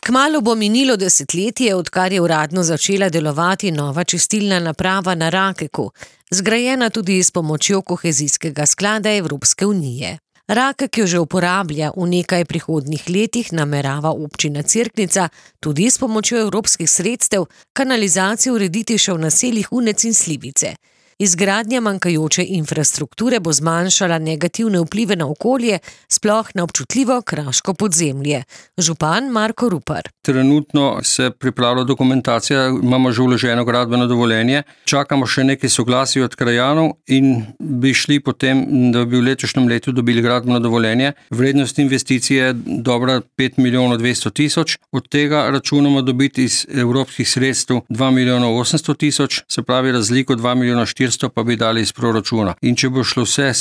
Kmalu bo minilo desetletje, odkar je uradno začela delovati nova čistilna naprava na Rakeku, zgrajena tudi s pomočjo kohezijskega sklada Evropske unije. Rakek jo že uporablja, v nekaj prihodnjih letih namerava občina Cerknica tudi s pomočjo evropskih sredstev kanalizacijo urediti še v naseljih Unec in Slivice. Izgradnja manjkajoče infrastrukture bo zmanjšala negativne vplive na okolje, sploh na občutljivo kraško podzemlje. Župan Marko Rupar. Trenutno se pripravlja dokumentacija, imamo že vloženo gradbeno dovoljenje, čakamo še nekaj soglasij od krajanov in bi šli potem, da bi v letošnjem letu dobili gradbeno dovoljenje. Vrednost investicije je dobra 5 milijonov 200 tisoč, od tega računamo dobiti iz evropskih sredstev 2 milijona 800 tisoč, se pravi razliko 2 milijona 400 pa bi dali iz proračuna. In če bo šlo vse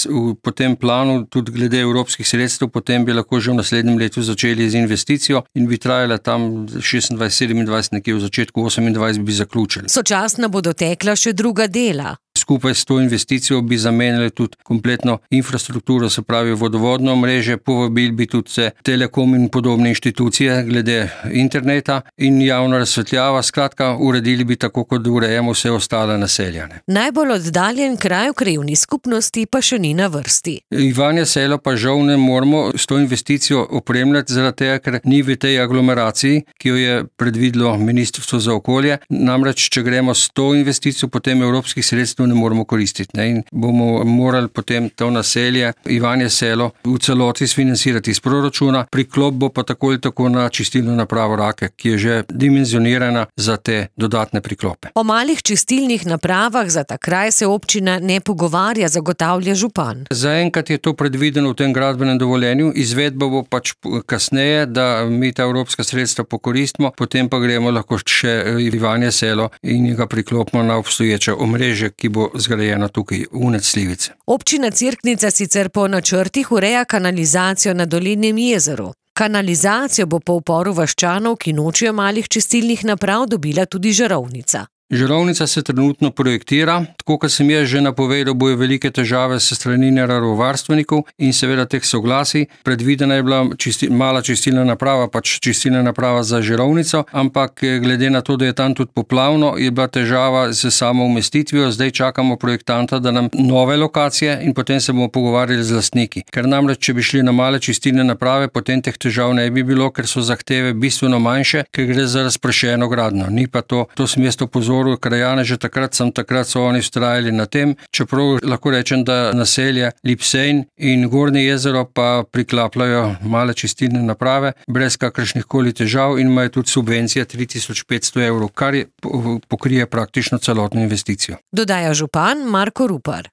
po tem planu, tudi glede evropskih sredstev, potem bi lahko že v naslednjem letu začeli z investicijo in bi trajala tam 26-27, nekje v začetku 28 bi zaključili. Sočasno bodo tekla še druga dela. Skupaj s to investicijo bi zamenjali tudi kompletno infrastrukturo, se pravi vodovodno mreže, povabili bi tudi vse Telekom in podobne inštitucije glede interneta in javna razsvetljava, skratka uredili bi tako, kot urejamo vse ostale naselja. Najbolj oddaljen kraj v krajevni skupnosti pa še ni na vrsti. Ivanje Selo pa žal ne moramo s to investicijo opremljati, zaradi tega, ker ni v tej aglomeraciji, ki jo je predvidelo Ministrstvo za okolje. Namreč, če gremo s to investicijo, potem evropskih sredstev ne moramo koristiti. In bomo morali potem to naselje, Ivanje Selo, v celoti sfinancirati iz proračuna, priklop bo pa tako ali tako na čistilno napravo Rakek, ki je že dimenzionirana za te dodatne priklope. O malih čistilnih napravah za ta kraj se občina ne pogovarja, zagotavlja župan. Zaenkrat je to predvideno v tem gradbenem dovoljenju, izvedba bo pač kasneje, da mi ta evropska sredstva pokoristimo, potem pa gremo lahko še Ivanje Selo in ga priklopimo na obstoječe omrežje, ki bo zgrajena tukaj Unec Slivice. Občina Cerknica sicer po načrtih ureja kanalizacijo na Dolenjem jezeru. Kanalizacijo bo po uporu vaščanov, ki nočejo malih čistilnih naprav, dobila tudi žarovnica. Žarovnica se trenutno projektira, tako kot sem jaz že napovedal, bojo velike težave s strani naravovarstvenikov in seveda teh soglasij. Predvidena je bila mala čistilna naprava, pač čistilna naprava za žarovnico, ampak glede na to, da je tam tudi poplavno, je bila težava s samo umestitvijo. Zdaj čakamo projektanta, da nam nove lokacije in potem se bomo pogovarjali z lastniki. Ker namreč, če bi šli na male čistilne naprave, potem teh težav ne bi bilo, ker so zahteve bistveno manjše, ker gre za razpršeno gradnjo. Ni pa to sem jaz opozoril krajane, že takrat so oni vztrajali na tem, čeprav lahko rečem, da naselje Lipsejn in Gornje jezero pa priklapljajo male čistilne naprave brez kakršnih koli težav in imajo tudi subvencije 3500 evrov, kar pokrije praktično celotno investicijo. Dodaja župan Marko Rupar.